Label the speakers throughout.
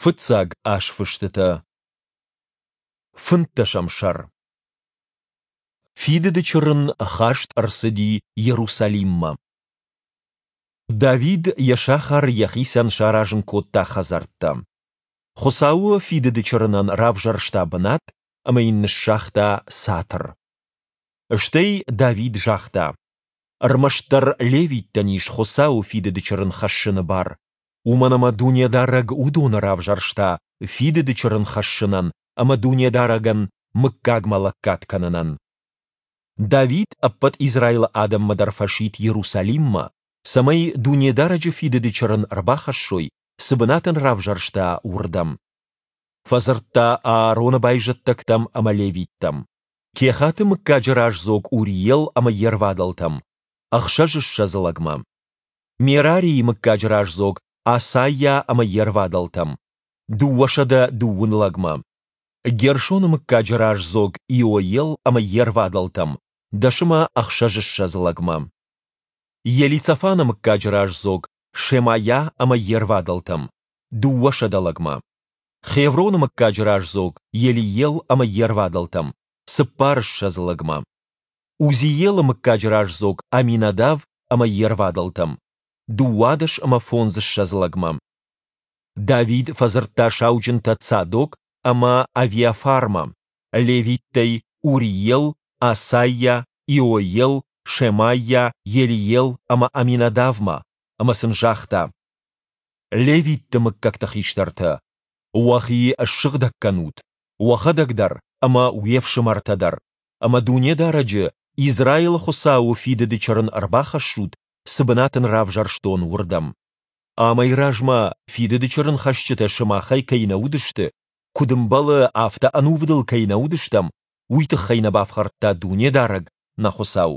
Speaker 1: Фыццаг азфыстытӕ. Фынддӕсӕм сӕр. Фидыды чырын хаст ӕрцыди Иерусалиммӕ. Давид йӕ сахары йӕхицӕн саразын кодта хӕдзӕрттӕ. Хуыцауы фидыды чырынӕн равзӕрста бынат ӕмӕ йын ныссагъта цатыр. Стӕй Давид загъта: Ӕрмӕстдӕр левиттӕн ис Хуыцауы фидыды чырын хӕссыны бар, уымӕн ӕмӕ Дунедарӕг уыдоны равзӕрста фидыды чырын хӕссынӕн ӕмӕ Дунедарӕгӕн мыггагмӕ лӕггад кӕнынӕн. Давид ӕппӕт Израилы адӕммӕ дӕр фӕсидт Иерусалиммӕ, цӕмӕй Дунедарӕджы фидыды чырын ӕрбахӕссой, цы бынат ын равзӕрста, уырдӕм. Фӕдзырдта Аароны байзӕддӕгтӕм ӕмӕ левиттӕм. Кехаты мыггаджы раздзог Уриел ӕмӕ йе рвадӕлтӕм, 26 лӕгмӕ. Мерарийы мыггаджы раздзог Асайа ӕмӕ йе рвадӕлтӕм, 220 лӕгмӕ. Гершоны мыггаджы раздзог Иоел ӕмӕ йе рвадӕлтӕм, 60 лӕгмӕ. Елицафаны мыггаджы раздзог Шемайа ӕмӕ йе рвадӕлтӕм, 200 лӕгмӕ. Хевроны мыггаджы раздзог Елиел ӕмӕ йе рвадӕлтӕм, 40 лӕгмӕ. Узиелы мыггаджы раздзог Аминадав ӕмӕ йе рвадӕлтӕм, 25 лӕгмӕ. Давид фӕдзырдта сауджынтӕ Цадок ӕмӕ Авиафармӕ, левиттӕй Уриел, Асайа, Иоел, Шемайа, Елиел ӕмӕ Аминадавмӕ, ӕмӕ сын загъта: Левитты мыггӕгты хистӕртӕ, уӕхи ссыгъдӕг кӕнут, уӕхӕдӕг дӕр ӕмӕ уе фсымӕртӕ дӕр, ӕмӕ Дунедарӕджы, Израилы Хуыцауы фидыды чырын ӕрбахӕссут, цы бынат ын равзӕрстон, уырдӕм. Амӕй размӕ фидыды чырынхӕсджытӕ сымахӕй кӕй нӕ уыдысты, куыд ӕмбӕлы, афтӕ ӕнувыд ыл кӕй нӕ уыдыстӕм, уый тыххӕй нӕ бафхӕрдта Дунедарӕг, нӕ Хуыцау.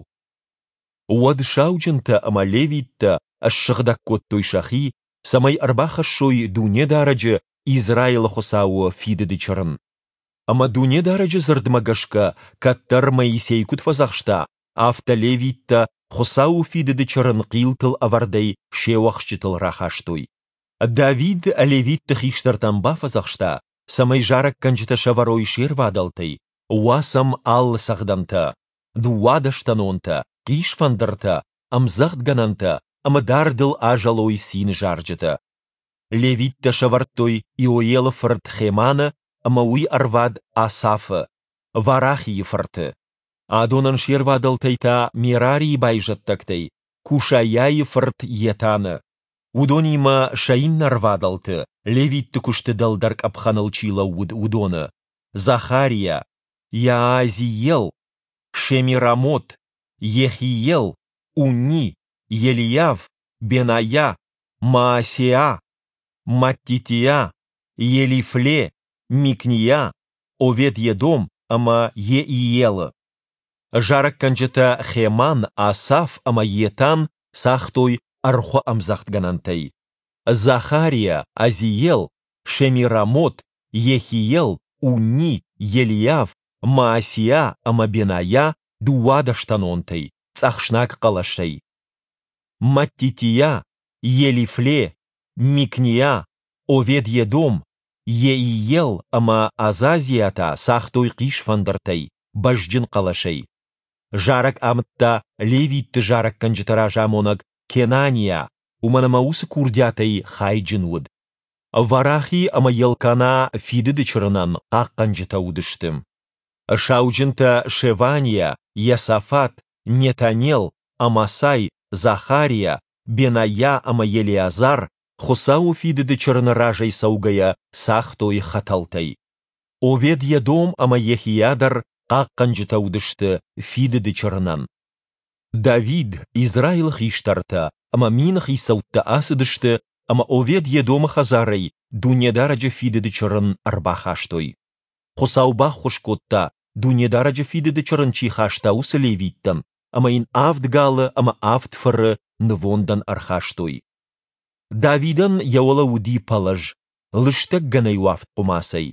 Speaker 1: Уӕд сауджынтӕ ӕмӕ левиттӕ ссыгъдӕг кодтой сӕхи, цӕмӕй ӕрбахӕссой Дунедарӕджы, Израилы Хуыцауы, фидыды чырын. Ӕмӕ Дунедарӕджы дзырдмӕ гӕсгӕ, кӕддӕр Моисей куыд фӕдзӕхста, афтӕ левиттӕ Хуыцауы фидыды чырын хъилтыл ӕвӕрдӕй се уӕхсчытыл рахастой. Давид левитты хистӕртӕн бафӕдзӕхста, цӕмӕй зарӕггӕнджытӕ сӕвӕрой се рвадӕлтӕй, уа сӕм алы цӕгъдӕнтӕ, дыууадӕстӕнонтӕ, хъисфӕндыртӕ, ӕмдзӕгъдгӕнӕнтӕ ӕмӕ дардыл азӕлой цины зарджытӕ. Левиттӕ сӕвӕрдтой Иоелы фырт Хеманы ӕмӕ уый ӕрвад Асафы, Варахийы фырты. Адонӕн се рвадӕлтӕй та Мерарийы байзӕддӕгтӕй, Кушайӕйы фырт Етаны. Уыдонимӕ сӕ иннӕ рвадӕлты, левитты куысты дӕлдӕр къӕпхӕныл чи лӕууыд, уыдоны, Захариа, Иаазиел, Шемирамот, Йехиел, Унни, Елиав, Бенайа, Маасеа, Маттитиа, Елифле, Микния, Овед-Едом ӕмӕ Йеиелы. Зарӕггӕнджытӕ Хеман, Асаф ӕмӕ Етан цагътой ӕрхуы ӕмдзӕгъдгӕнӕнтӕй. Захариа, Азиел, Шемирамот, Йехиел, Унни, Елиав, Маасиа ӕмӕ Бенайа дыууадӕстӕнонтӕй, цъӕхснаг хъӕлӕсӕй. Маттитиа, Елифле, Микниа, Овед-Едом, Йеиел ӕмӕ Азазиа та цагътой хъисфӕндыртӕй, бӕзджын хъӕлӕсӕй. Зарӕг амыдта левитты зарӕггӕнджыты разамонӕг Кенаниа, уымӕн ӕмӕ уыцы курдиатӕй хайджын уыд. Варахи ӕмӕ Елкана фидыды чырынӕн хъахъхъӕнджытӕ уыдысты. Сауджынтӕ Шеваниа, Иосафат, Нетанел, Амасай, Захариа, Бенайа ӕмӕ Елеазар Хуыцауы фидыды чырыны разӕй цӕугӕйӕ цагътой хӕтӕлтӕй. Овед-Едом ӕмӕ Йехиа дӕр хъахъхъӕнджытӕ уыдысты фидыды чырынӕн. Давид, Израилы хистӕртӕ ӕмӕ мины хицӕуттӕ ацыдысты ӕмӕ Овед-Едомы хӕдзарӕй Дунедарӕджы фидыды чырын ӕрбахастой. Хуыцау баххуыс кодта, Дунедарӕджы фидыды чырын чи хаста, уыцы левиттӕн, ӕмӕ йын авд галы ӕмӕ авд фыры нывондӕн ӕрхастой. Давидӕн йӕ уӕлӕ уыди пӕлӕз, лыстӕг гӕнӕй уӕфт хъуымацӕй.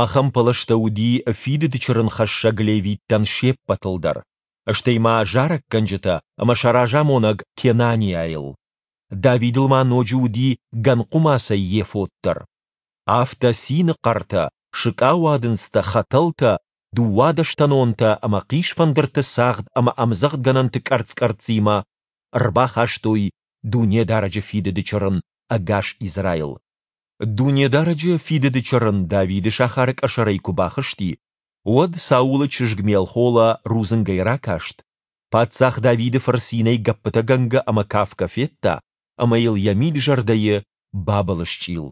Speaker 1: Ахӕм пӕлӕзтӕ уыди фидыды чырынхӕссӕг левиттӕн се ппӕтыл дӕр, стӕй ма зарӕггӕнджытӕ ӕмӕ сӕ разамонӕг Кенаниайыл. Давидыл ма ноджы уыди гӕн хъуымацӕй ефод дӕр. Афтӕ цины хъӕртӕ, сыкъауадындзтӕ, хӕтӕлтӕ, дыууадӕстӕнонтӕ ӕмӕ хъисфӕндырты цагъд ӕмӕ ӕмдзӕгъдгӕнӕнты къӕрцц-къӕрццимӕ ӕрбахастой Дунедарӕджы Фидыды Чырын ӕгас Израил. Дунедарӕджы Фидыды Чырын Давиды сахары къӕсӕрӕй куы бахызти, уӕд Саулы чызг Мелхола рудзынгӕй ракаст, паддзах Давиды фырцинӕй гӕппытӕгӕнгӕ ӕмӕ кафгӕ федта, ӕмӕ йыл йӕ мид-зӕрдӕйы бабылысчъил.